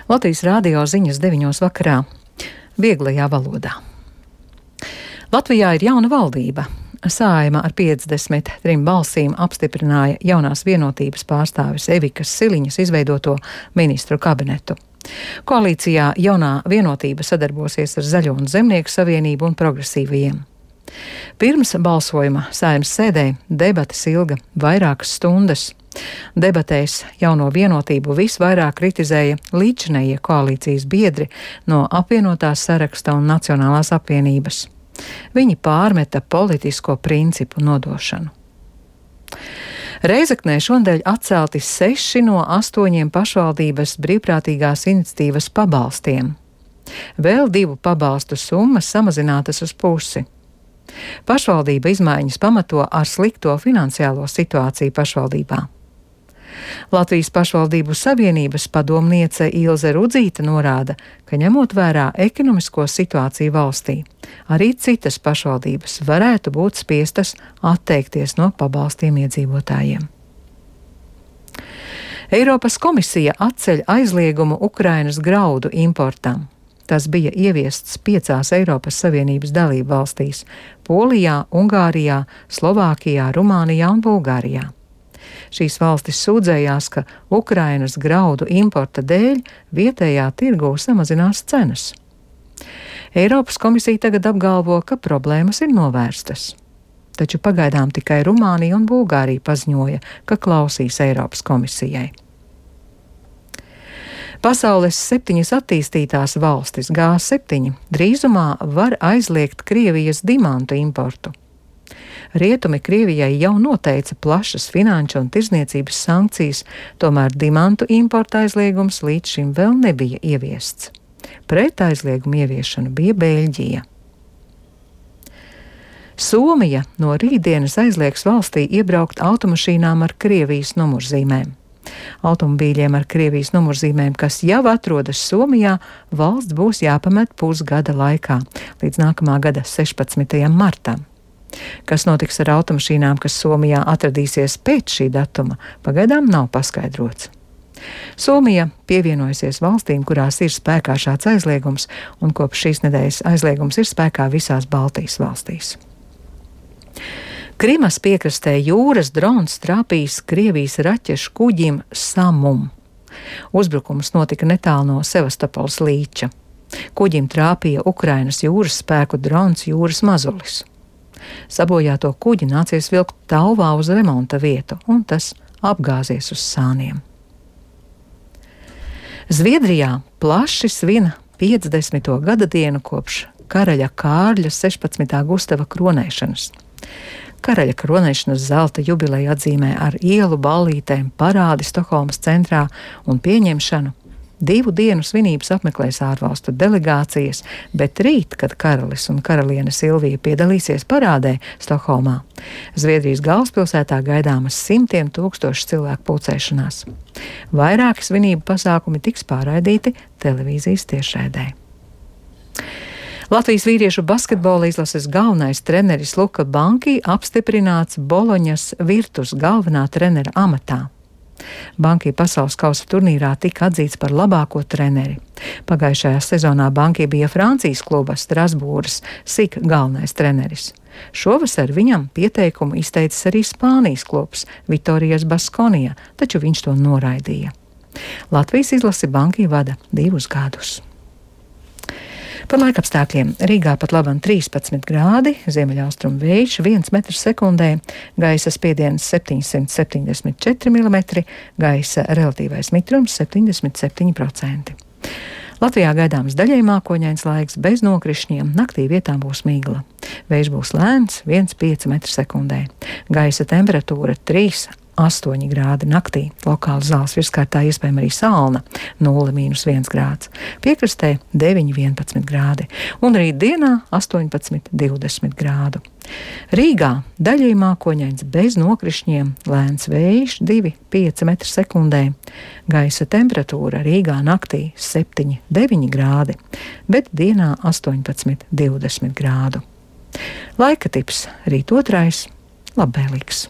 Latvijas radio ziņas 9 vakarā, vieglajā valodā. Latvijā ir jauna valdība. Saeima ar 53 balsīm apstiprināja jaunās vienotības pārstāvis Evikas Siliņas izveidoto ministru kabinetu. Koalīcijā jaunā vienotība sadarbosies ar Zaļo un Zemnieku savienību un progresīvajiem. Pirms balsojuma Saeimas sēdē debates ilga vairākas stundas. Debatēs jauno vienotību visvairāk kritizēja līdzinējie koalīcijas biedri no apvienotās saraksta un Nacionālās apvienības. Viņi pārmeta politisko principu nodošanu. Reizeknē šonadēļ atcelti 6 no 8 pašvaldības brīvprātīgās iniciatīvas pabalstiem. Vēl 2 pabalstu summas samazinātas uz pusi. Pašvaldība izmaiņas pamato ar slikto finansiālo situāciju pašvaldībā. Latvijas pašvaldību savienības padomniece Ilze Rudzīte norāda, ka ņemot vērā ekonomisko situāciju valstī, arī citas pašvaldības varētu būt spiestas atteikties no pabalstiem iedzīvotājiem. Eiropas komisija atceļ aizliegumu Ukrainas graudu importam. Tas bija ieviests 5 Eiropas Savienības dalību valstīs – Polijā, Ungārijā, Slovākijā, Rumānijā un Bulgārijā. Šīs valstis sūdzējās, ka Ukrainas graudu importa dēļ vietējā tirgū samazinās cenas. Eiropas komisija tagad apgalvo, ka problēmas ir novērstas. Taču pagaidām tikai Rumānija un Bulgārija paziņoja, ka klausīs Eiropas komisijai. Pasaules 7 attīstītās valstis G7 drīzumā var aizliegt Krievijas dimantu importu. Rietumi Krievijai jau noteica plašas finanšu un tirdzniecības sankcijas, tomēr dimantu importa aizliegums līdz šim vēl nebija ieviests. Pret aizliegumu ieviešanu bija Beļģija. Somija no rītdienas aizliegs valstī iebraukt automašīnām ar Krievijas numurzīmēm. Automobīļiem ar Krievijas numurzīmēm, kas jau atrodas Somijā, valsts būs jāpamet pusgada laikā, līdz nākamā gada 16. martam. Kas notiks ar automašīnām, kas Somijā atradīsies pēc šī datuma, pagaidām nav paskaidrots. Somija pievienojusies valstīm, kurās ir spēkā šāds aizliegums, un kopš šīs nedēļas aizliegums ir spēkā visās Baltijas valstīs. Krimas piekrastē jūras drons trāpījis Krievijas raķešu kuģim Samum. Uzbrukums notika netālu no Sevastopols līča. Kuģim trāpīja Ukrainas jūras spēku drons Jūras Mazulis. Sabojāto kuģi nācies vilkt tauvā uz remonta vietu, un tas apgāzies uz sāniem. Zviedrijā plaši svin 50. gada dienu kopš karaļa Kārļa 16. Gustava kronēšanas. Karaļa kronēšanas zelta jubileju atzīmē ar ielu ballītēm, parādi Stokholmas centrā un pieņemšanu. 2 dienu svinības apmeklēs ārvalstu delegācijas, bet rīt, kad karalis un karaliene Silvija piedalīsies parādē Stokholmā, Zviedrijas galvaspilsētā gaidāmas 100 000 cilvēku pulcēšanās. Vairāki svinību pasākumi tiks pārraidīti televīzijas tiešraidē. Latvijas vīriešu basketbola izlases galvenais treneris Luka Banki apstiprināts Boloņas Virtus galvenā trenera amatā. Banki pasaules kausa turnīrā tika atzīts par labāko treneri. Pagājušajā sezonā Banki bija Francijas kluba Strasbūras SIK galvenais treneris. Šovasar viņam pieteikumu izteicis arī Spānijas klubs Vitorijas Baskonija, taču viņš to noraidīja. Latvijas izlasi Banki vada 2 gadus. Par laikapstākļiem Rīgā pat labam 13 grādi, ziemeļaustrumu vējš 1 metrs sekundē, gaisa spiediens 774 mm, gaisa relatīvais mitrums 77%. Latvijā gaidāms daļai mākoņains laiks bez nokrišņiem, naktī vietām būs migla. Vējš būs lēns 1,5 metru sekundē, gaisa temperatūra 3,8 grādi naktī, lokāli zāles virskārtā iespējama arī salna 0,-1 grāds, piekrastē 9,11 grādi un rīt dienā 18,20 grādu. Rīgā daļai mākoņains bez nokrišņiem, lēns vējš 2,5 metru sekundē, gaisa temperatūra Rīgā naktī 7,9 grādi, bet dienā 18,20 grādu. Laika tips rīt 2. labvēlīgs.